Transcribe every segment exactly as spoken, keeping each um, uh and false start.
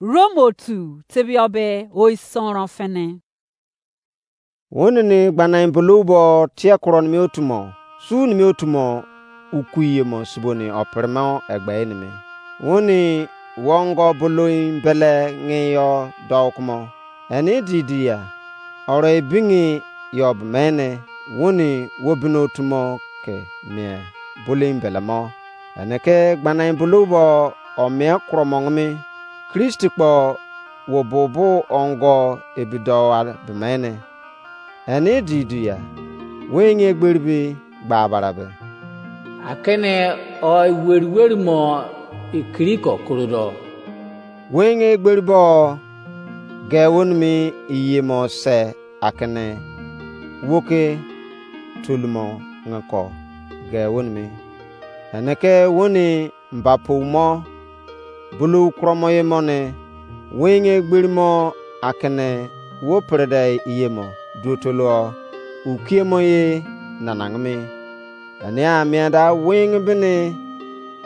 Rom otu tebie be oisonron fini. Woni ni gbanai bolou bo tie kuro nimi otumo, su nimi otumo ukuyemo suboni operemo egbe nimi. Woni wongo bolou bele ngi yo dou kumo. Eni di di ya, oro ebingi yo bemene woni wo bini otumo ke mie bolou bele mo. Ene ke gbanai bolou bo o mie kuro mo ngimi, Kristi kpo wo bubu ongo ebidowa bemene. Eni di di ya, wenye egberi bi gba barabe. Akene o weri weri mo ikiri ko korodo. Wenye egberi bo ge wonimi iye mo se akene woke tolumo ngeko ge wonimi. Ene ke woni mbapou mo, bulou kuromo ye mo ne, wenye egberi mo akene wo perede iye mo duotolo ukiemo ye nanangimi. Enia mie da wenye bini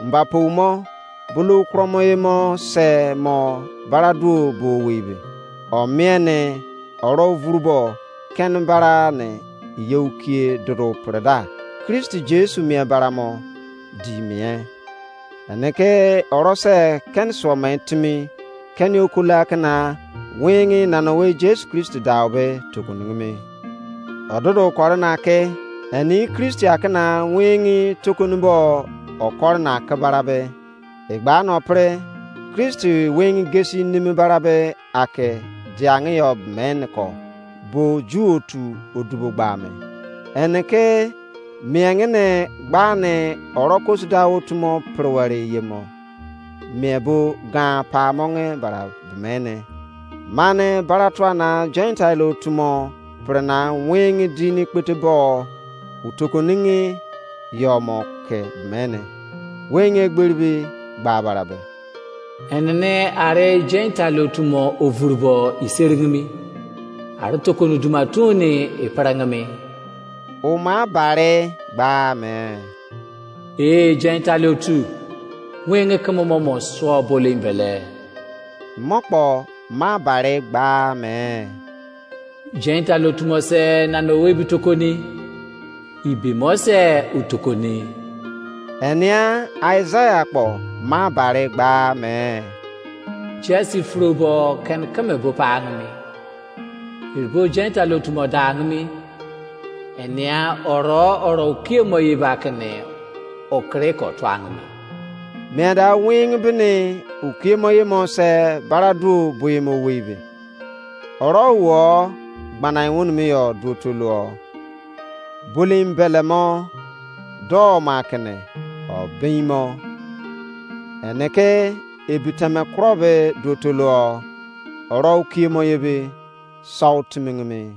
mbapou mo, bulou kuromo ye mo se mo bara duo bo weibe. O mie ne oro vuru bo keni bara ne yeukie dodo pereda. Kristi Jesu mie bara mo di mie. Ene ke oro se keni suo me timi keni okula kena wenye nana we Jesu Kristi dau be tokoningimi. Ododo kore na ke eni Kristi akena wenye tokoni bo okore na ke bara be. Egba no pre Kristi wenye gesi nimi bara be ake diangi yo men ko bo ju otu odubo gba me. Ene ke miengene gba ne oro kosuda otumo perewere yemo mie bo gan pa monge bara bemene. Mane bara tua na Gentile otumo pre na wenye dini kpete bo utokoningi yo mo ke bemene. Wenye egberi bi gba bara be. Enene are Gentile otumo ovurbo iserigimi. Are tokoni duma tuni iperengimi. Uma bare gba me. Ee Gentile otu, wenye keme mo mo suo bole mbele. Mo kpo ma bare gba me. Gentile otumo se nana owe bi tokoni. Ibi mo se utokoni. Enia Isaiah kpo ma bare gba me. Jesi furo bo ken keme bo pa angimi. Iribo Gentile otumo da angimi. Enia oro oro ukiemo ye ba kene okere ko tuangimi. Mie da wenye bini ukiemo ye mo se bara duo boye mo weibe. Oro wo gbanai wonimi yo duotoluo. Bolim belemo do ma kene o bin mo. Ene ke ebiteme kuro be duotoluo. Oro ukiemo ye be sau timingimi.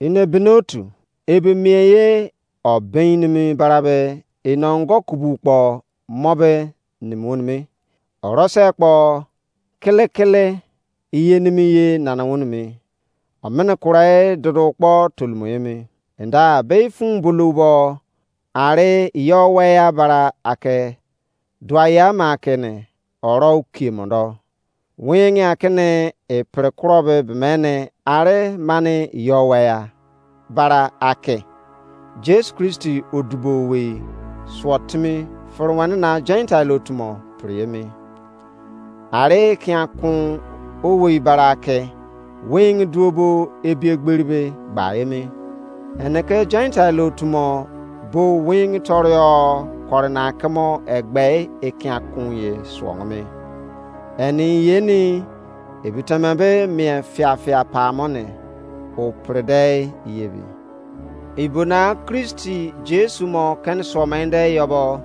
Ine binotu ebe mie ye o bin nimi bara be ino ongo kubu kpo mo be nimi wonimi. Oro se kpo kele kele iye nimi ye nana wonimi. Omene kurai dodo kpo tolumo yemi. Enda be fun bulu bo are yo we ya bara ake dua ya ma kene oro ukie mondo. Wenye akene e pre kuro be bemene are mane yo we ya bara ake Jesu Kristi odubo we suo timi fere wene na Gentile otumo pre emi. Are kia kun owei bara ake wenye duo bo ebi egberi be gba emi. Ene ke Gentile otumo bo wenye torio kore na kemo egbe ekia kun ye suo me. Eni yeni ebiteme be mie fiafia pamo ne o prede yebi. Ibona Kristi Jesu mo ken suo mende yobo.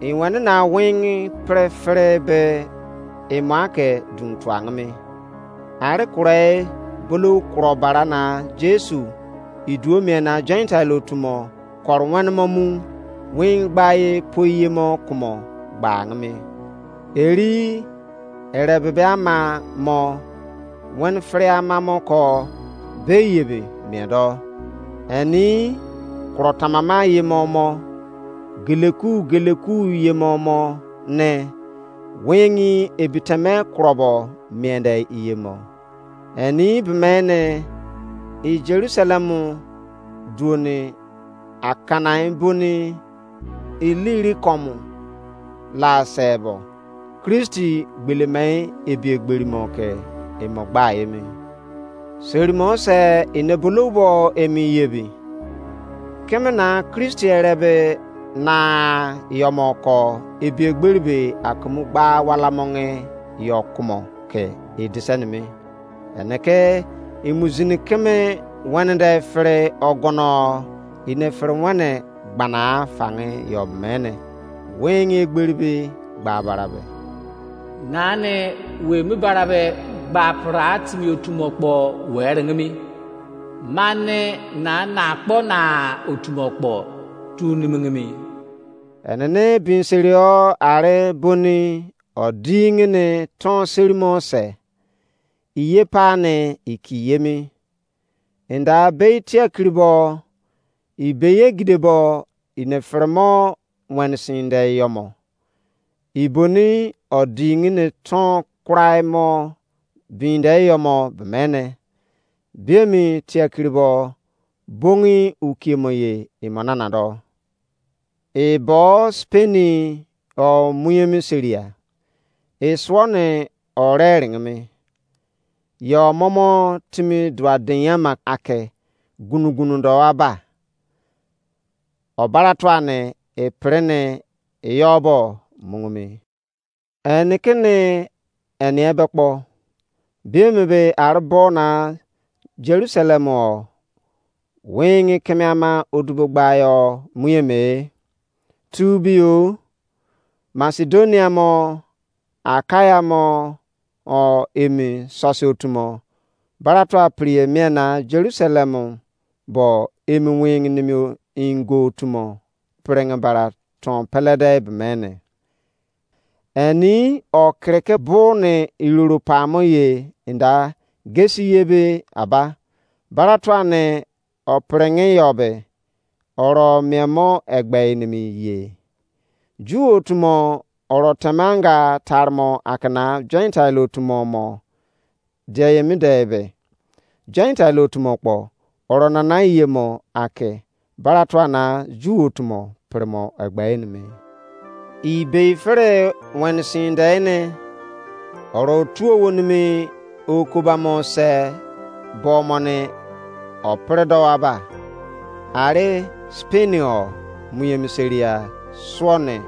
Iwene na wenye pre fere be imo ake dun tuangmi. Are kure bulu kuro bara na Jesu iduo mie na Gentile otumo koro wene mo mu wenye gba ye poi ye mo kumo gba angmi. Eri ere bebe ama mo wene fere ama mo ko be yebe mie do. Eni kuro tamama ye mo mo geleku geleku ye mo mo ne wengi ebiteme kurobo miende iyemo. Eni bemene i Jerusalem duoni akanai boni iliri komu la sebo, Kristi gbelemai ebiegberimo ke imo gba emi. Serimo se ine bulou bo emi yebi. Kemena Kristi erebe na yomoko ebiegberi be akumu gba wala monge yo kumo ke edise nimi. Ene ke imuzini keme wene de fere ogono ine fere wene gbana fange yo mene. Wengi egberi be gba barabe. Nani we mi barabe gba pra timi otumo kpo were ngimi. Mani na na kpo na otumo kpo tu nimingimi. Enene bin serio are boni odingini ton serimo se, iye pa ni iki yemi. Inda bei tiakiri bo, ibeye gide bo, ine feremo wenisin de yomo. Iboni odingini ton kurai mo binde yomo bemene. Biemi tiakiri bo, bongi ukiemo ye imo nana do. Ebo speni o muyemi seria. Isuo ni o reringimi. Yo momo timi dua denyama ake gunu-gunu do aba. Obara tua ni epiri ni iyobo mungumi. Eni kini eni ebe kpo. Biemi be ari bo na Jerusalem o wingi keme ama odubo gbayo muyeme. Tu bio, Masedonia mo, Akaya mo, o emi sosi otumo, baratua piriye mie na Jerusalem bo emi wingi nimi ingo otumo piringi bara ton pelede bemene. Eni o kiriki bu ni iroro pamo ye inda gesi ye be aba. Baratua ni o piringi yo be oro miemo egbe nimi ye. Ju otumo oro temanga tarmo akina Gentile otumo mo die yemi de be. Gentile otumo kpo oro nana yemo ake baratua na Ju otumo pirimo egbe nimi. Ibei fere wenisin de ne oro tuo wonimi okobamo se bo mo ni o pere do aba. Are Spain o muyemi seria suo ni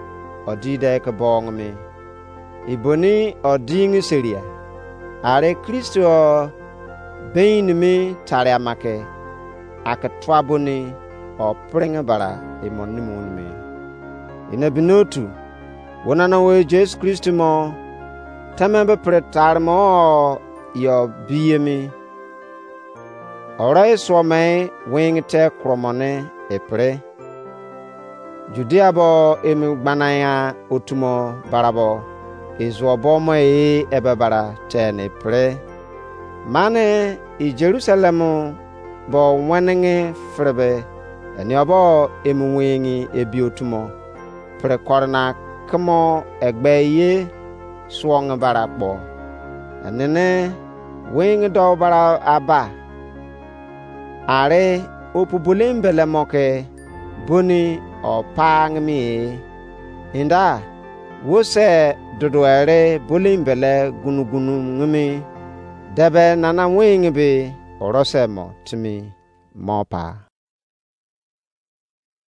o di de ke bo ngimi. Iboni o dingi seria. Are Kristo o bein nimi tari amake ake tua boni o piringi bara imo nimi nimi. Ine binotu wonana we Jesu Kristo mo teme be pere tari mo yo biyemi. Oro isuo me wingi te kuromo ne epiri. Judea bo emi gbananya otumo barabo izuo bo mo e ebe bara te ne epiri. Mane i Jerusalem bo wenenge firebe eniobo emi wingi ebi otumo pere kore na kemo egbe ye suonge bara kpo. Enene wingi do bara aba. Are opu bolim bele mo ke boni o pa ngimi e. Inda wo se dudu ere bolim bele gunu-gunu ngimi debe nana wingi be oro se mo timi mo pa.